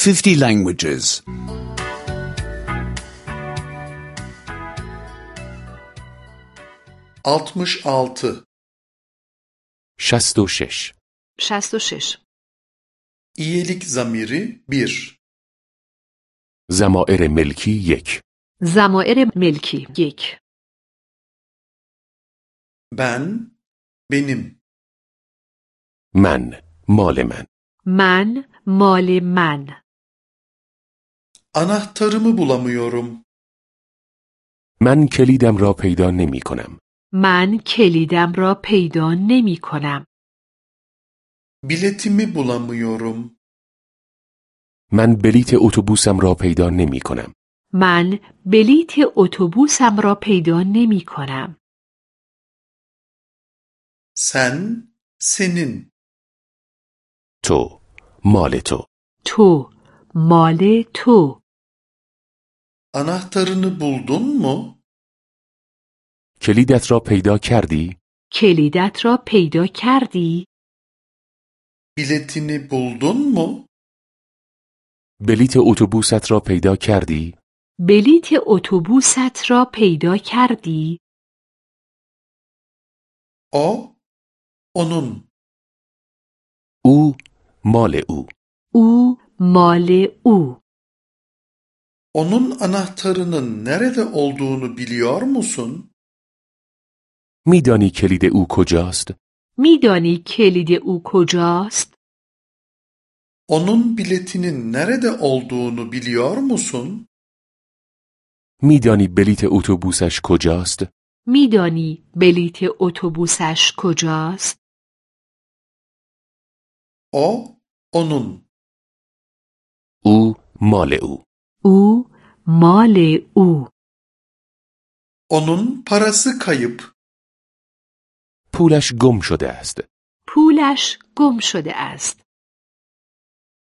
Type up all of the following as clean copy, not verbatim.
50 languages. 66 66 66. İyilik zamiri 1 ضمائر ملکی 1 ضمائر ملکی 1. Ben, benim. من مال من من مال من. Anahtarımı bulamıyorum. من کلیدم را پیدا نمی کنم. من کلیدم را پیدا نمی کنم. Biletimi bulamıyorum. من بلیت اتوبوسم را پیدا نمی کنم. من بلیت اتوبوسم را پیدا نمی کنم. Sen, senin. تو مال تو تو مال تو. Anahtarını buldun mu? کلیدت را پیدا کردی؟ کلیدت را پیدا کردی؟ Biletini buldun mu? بلیت اتوبوست را پیدا کردی؟ بلیت اتوبوست را پیدا کردی؟ O, onun. او مال او او مال او. Onun anahtarının nerede olduğunu biliyor musun? میدانی کلید او کجاست؟ میدانی کلید او کجاست؟ Onun biletinin nerede olduğunu biliyor musun? میدانی بلیت اتوبوسش کجاست؟ میدانی بلیت اتوبوسش کجاست؟ O, onun. او مال او او مال او. Onun parası kayıp. پولش گم شده است پولش گم شده است.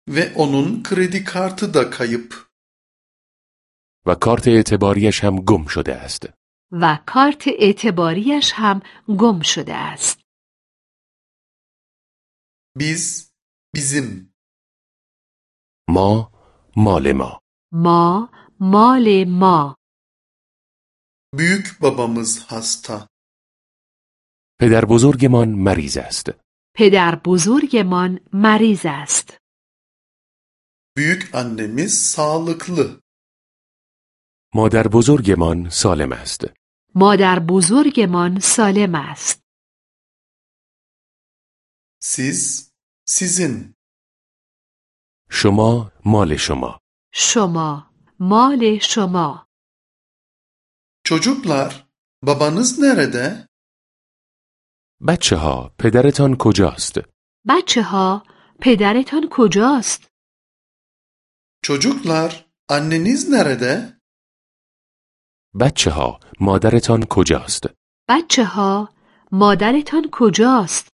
Ve onun kredi kartı da kayıp. و کارت اعتباریش هم گم شده است. و کارت اعتباریش هم گم شده است. Biz, bizim. ما مال ما ما مال ما. Büyük babamız hasta. پدر بزرگمان مریض است. پدر بزرگمان مریض است. Büyük annemiz sağlıklı. مادر بزرگمان سالم است. مادر بزرگمان سالم است. Siz, sizin. شما مال شما شما مال شما. Çocuklar, babanız nerede? بچه ها پدرتان کجاست؟ بچه ها پدرتان کجاست؟ Çocuklar, anneniz nerede? بچه ها مادرتان کجاست؟ بچه ها مادرتان کجاست؟